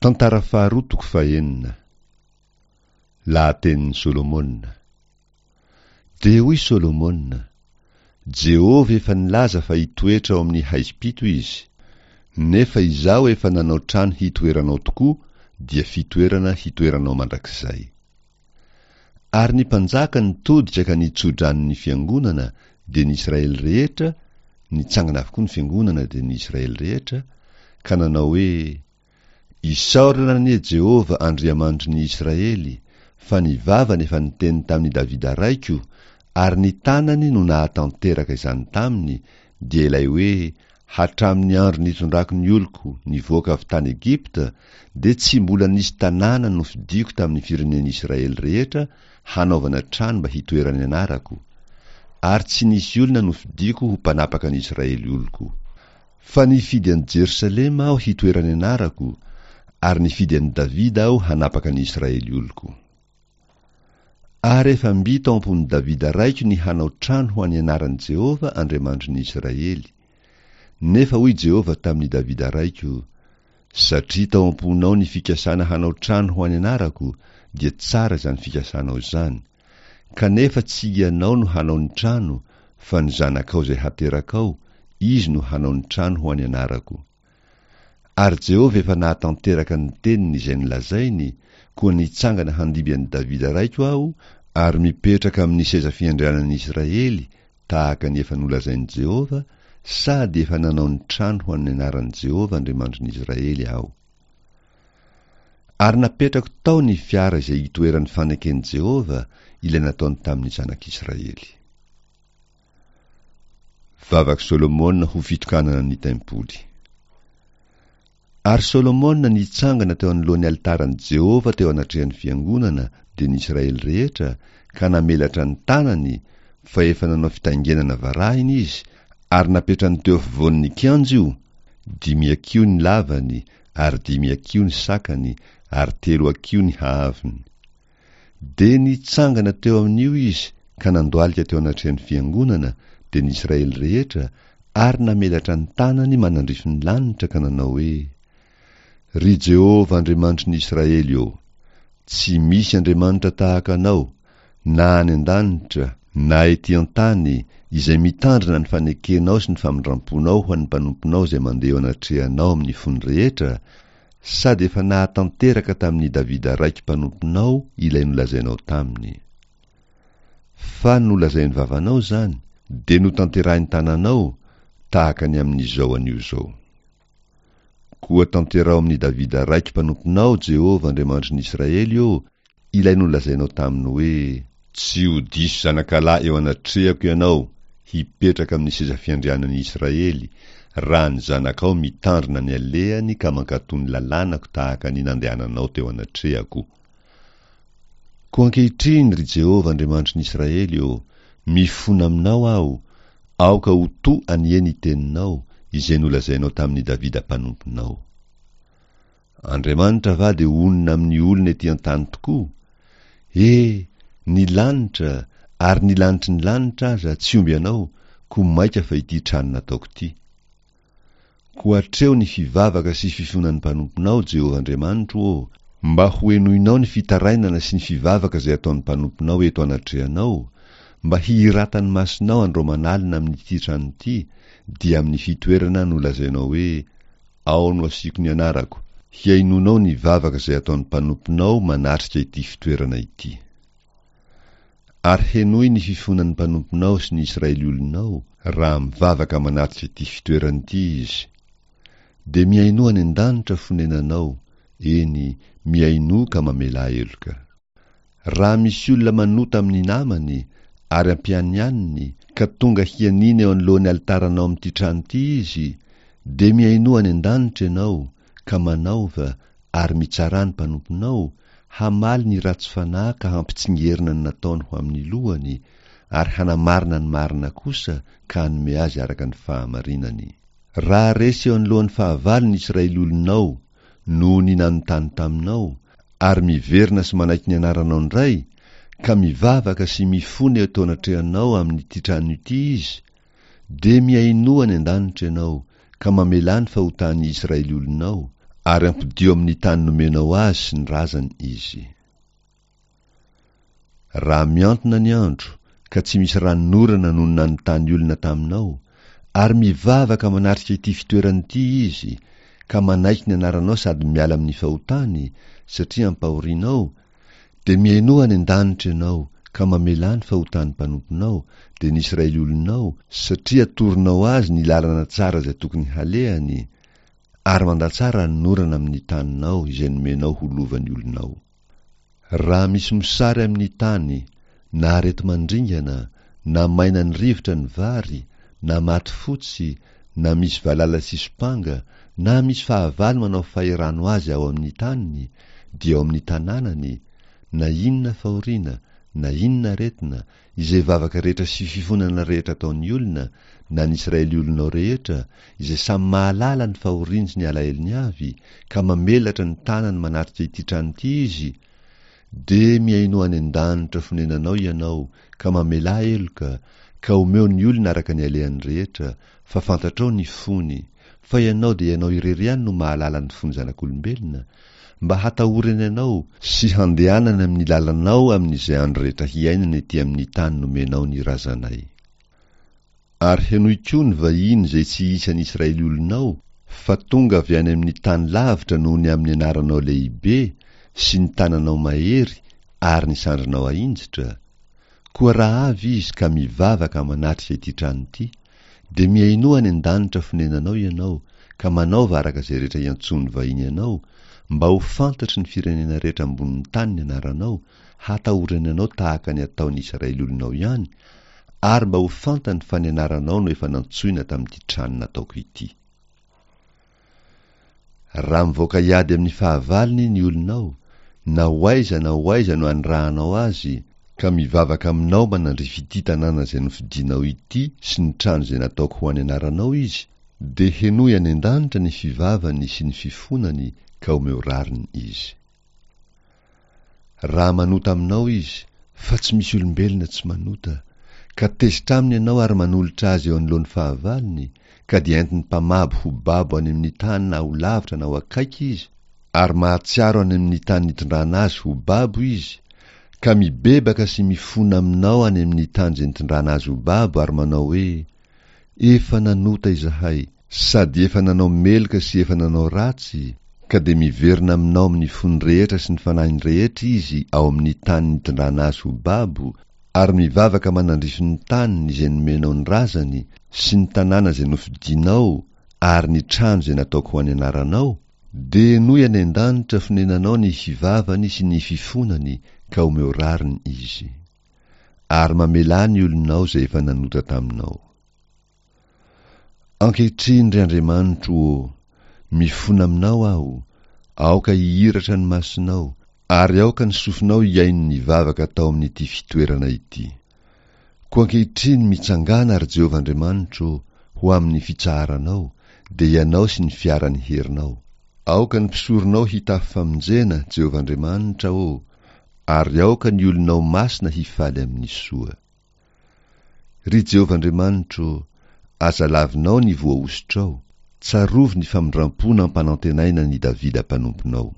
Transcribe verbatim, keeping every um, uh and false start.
Tantara faharoa toko fahenina. Lahatenin'i Solomona. Dia hoy Solomona, Jehovah efa nilaza fa hitoetra ao amin'ny haizim-pito izy, nefa izaho efa nanao trano hitoeranao tokoa, dia fitoerana hitoeranao mandrakizay. Ary ny mpanjaka nitodika ka nitso-drano ny fiangonana, dia ny Israely rehetra, nitsangana avokoa ny fiangonana dia ny Israely rehetra, ka nanao hoe, Isaorana anie Jehovah Andriamanitry ny Israely, fa ny vavany efa niteny tamin'i Davida raiko, ary ny tanany no nahatanteraka izany taminy, dia ilay hoe, Hatramin'ny andro nitondrako ny oloko nivoaka avy tany Egypta, dia tsy mbola nisy tanàna nofidiko tamin'ny firenen'Israely rehetra hanaovana trano mba hitoeran'ny anarako, ary tsy nisy olona nofidiko ho mpanapaka ny Israely oloko. Fa nifidy an'i Jerosalema aho hitoeran'ny anarako, ary nifidy an'i Davida aho hanapaka ny Israely oloko. Ary efa mby tao am-pon'i Davida raiko ny hanao trano ho an'ny anaran'i Jehovah Andriamanitry ny Israely. Nefa hoy Jehovah tamin'i Davida raiko, Satria tao am-ponao ny fikasana hanao trano ho an'ny anarako, dia tsara izany fikasanao izany. Kanefa tsy ianao no hanao ny trano, fa ny zanakao izay haterakao, izy no hanao ny trano ho an'ny anarako. Ary Jehovah efa nahatanteraka ny teniny izay nolazainy, koa nitsangana handimby an'i Davida raiko aho, ary mipetraka amin'ny seza fiandrianan'ny Israely, tahaka ny efa nolazain'i Jehovah, sady efa nanao ny trano ho an'ny anaran'i Jehovah Andriamanitry ny Israely aho. Ary napetrako tao ny fiara izay itoeran'ny faneken'i Jehovah, ilay nataony tamin'ny zanak'Israely. Vavak'i Solomona ho fitokanana ny tempoly. Ary Solomona nitsangana teo anoloan'ny alitaran'i Jehovah teo anatrehan'ny fiangonana, dia ny Israely rehetra, ka namelatra ny tanany, fa efa nanao fitaingenana varahina izy, ary napetrany teo afovoan'ny kianja io, dimy hakiho ny lavany, ary dimy hakiho ny sakany, ary telo hakiho ny haavony. Dia nitsangana teo amin'io izy ka nandohalika teo anatrehan'ny fiangonana, dia ny Israely rehetra, ary namelatra ny tanany manandrify ny lanitra ka nanao hoe, Ry Jehovah Andriamanitry ny Israely ô, tsy misy Andriamanitra tahaka Anao, na any an-danitra, na ety an-tany, izay mitandrina ny fanekenao sy ny famindram-ponao ho an'ny mpanomponao izay mandeha eo anatrehanao amin'ny fony rehetra, sady efa nahatanteraka tamin'i Davida raiko mpanomponao ilay nolazainao taminy. Fa nolazain'ny vavanao izany, dia notanterahin'ny tananao, tahaka ny amin'izao anio izao. Koa tanteraho amin'i Davida raiko mpanomponao, Jehovah Andriamanitry ny Israely ô, ilay nolazainao taminy hoe, Tsy ho diso zanakalahy eo anatrehako ianao, hipetraka amin'ny seza fiandrianan'ny Israely, raha ny zanakao mitandrina ny alehany ka mankatò ny lalànako tahaka ny nandehananao teo anatrehako. Koa ankehitriny, ry Jehovah Andriamanitry ny Israely ô, mifona aminao aho, aoka ho to anie ny teninao, izay nolazainao tamin'i Davida mpanomponao. Andriamanitra va dia honina amin'ny olona ety an-tany tokoa? E, ny lanitra, ary ny lanitry ny lanitra aza tsy omby anao, koa mainka fa ity trano nataoko ity. Koa atreho ny fivavaka sy fifonan'ny mpanomponao, Jehovah Andriamanitro ô, mba hohenoinao ny fitarainana sy ny fivavaka izay ataon'ny mpanomponao eto anatrehanao, mba hihiratan'ny masonao andro aman'alina amin'ity trano ity, dia amin'ny fitoerana nolazainao hoe, Ao no asiako ny anarako, hihainoanao ny vavaka izay ataon'ny mpanomponao manatrika ity fitoerana ity. Ary henoy ny fifonan'ny mpanomponao sy ny Israely olonao, raha mivavaka manatrika ity fitoerana ity izy. Dia mihainoa any an-danitra fonenanao, eny, mihainoa ka mamelà heloka. Raha misy olona manota amin'ny namany, ary ampianianiny, ka tonga hianiana eo anoloan'ny alitaranao amin'ity trano ity izy, dia mihainoa any an-danitra ianao, ka manaova, ary mitsarà ny mpanomponao, hamaly ny ratsy fanahy ka hampitsingerina ny nataony ho amin'ny lohany, ary hanamarina ny marina kosa ka hanome azy araka ny fahamarinany. Raha resy eo anoloan'ny fahavalo ny Israely olonao noho ny nanontany taminao, ary miverina sy manaiky ny anaranao indray, ka mivavaka sy mifona eto anatrehanao amin'ity trano ity izy, dia mihainoa any an-danitra ianao, ka mamelà ny fahotan'ny Israely olonao, ary ampodio amin'ny tany nomenao azy sy ny razany izy. Raha miantona ny andro, ka tsy misy ranonorana noho nanontany olona taminao, ary mivavaka manatrika ity fitoerana ity izy, ka manaiky ny anaranao sady miala amin'ny fahotany, satria ampahorianao, dia mihainoa any an-danitra ianao, ka mamelà ny fahotan'ny mpanomponao, dia ny Israely olonao, satria atoronao azy ny lalana tsara izay tokony halehany, ary mandatsaha ranonorana amin'ny taninao izay nomenao ho lovan'ny olonao. Raha misy mosary amin'ny tany, na areti-mandringana, na maina ny rivotra ny vary, na maty fotsy, na misy valala sy sompanga, na misy fahavalo manao fahirano azy ao amin'ny taniny, dia ao amin'ny tanànany, na inona fahoriana, na inona aretina, izay vavaka rehetra sy fifonana rehetra ataon'ny olona, na ny Israely olonao rehetra, izay samy mahalala ny fahoriany sy ny alahelony avy, ka mamelatra ny tanany manatrika ity trano ity izy, dia mihainoa any an-danitra fonenanao ianao, ka mamelà heloka, ka omeo ny olona araka ny alehany rehetra, fa fantatrao ny fony, fa ianao dia ianao irery ihany no mahalala ny fon'ny zanak'olombelona, mba hatahorany anao sy handehanany amin'ny lalanao amin'izay andro rehetra hiainany ety amin'ny tany nomenao ny razanay. Ary henoy koa ny vahiny izay tsy isan'ny Israely olonao, fa tonga avy any amin'ny tany lavitra noho ny amin'ny anaranao lehibe sy ny tananao mahery ary ny sandrinao ahinjitra. Koa raha avy izy ka mivavaka manatrika ity trano ity, dia mihainoa any an-danitra fonenanao ianao, ka manaova araka izay rehetra iantsoan'ny vahiny anao, mba ho fantatry ny firenena rehetra ambonin'ny tany ny anaranao, hatahorany anao tahaka ny ataon'ny Israely olonao ihany, ary mba ho fantany fa ny anaranao no efa nantsoina tamin'ity trano nataoko ity. Raha mivoaka hiady amin'ny fahavalony ny olonao, na ho aiza na ho aiza no anirahanao azy, ka mivavaka aminao manandrify ity tanàna izay nofidinao ity sy ny trano izay nataoko ho an'ny anaranao izy, dia henoy any an-danitra ny fivavany sy ny fifonany, ka omeo rariny izy. Raha manota aminao izy, fa tsy misy olombelona tsy manota, ka tezitra aminy ianao ary manolotra azy eo anoloan'ny fahavalony, ka dia entin'ny mpamabo ho babo any amin'ny tany na ho lavitra na ho akaiky izy, ary mahatsiaro any amin'ny tany nitondrana azy ho babo izy, ka mibebaka sy mifona aminao any amin'ny tany izay nitondrana azy ho babo ary manao hoe: Efa nanota izahay, sady efa nanao meloka sy efa nanao ratsy, ka dia miverina aminao amin'ny fony rehetra sy ny fanahiny rehetra izy ao amin'ny tany nitondrana azy ho babo, ary mivavaka manandrify ny taniny izay nomenao ny razany, sy ny tanàna izay nofidinao, ary ny trano izay nataoko ho an'ny anaranao, dia henoy any an-danitra fonenanao ny fivavany sy ny fifonany, ka omeo rariny izy. Ary mamelà ny olonao izay efa nanota taminao. Ankehitriny, ry Andriamanitro ô, mifona aminao aho, aoka hihiratra ny masonao, ary aoka ny sofinao hihaino ny vavaka atao amin'ity fitoerana ity. Koa ankehitriny mitsangàna, ry Jehovah Andriamanitro, ho amin'ny fitsaharanao, dia ianao sy ny fiaran'ny herinao. Aoka ny mpisoronao hitafy famonjena, Jehovah Andriamanitra ô, ary aoka ny olonao masina hifaly amin'ny soa. Ry Jehovah Andriamanitro, aza lavinao ny voahosotrao, tsarovy ny famindram-po nampanantenaina an'i Davida mpanomponao.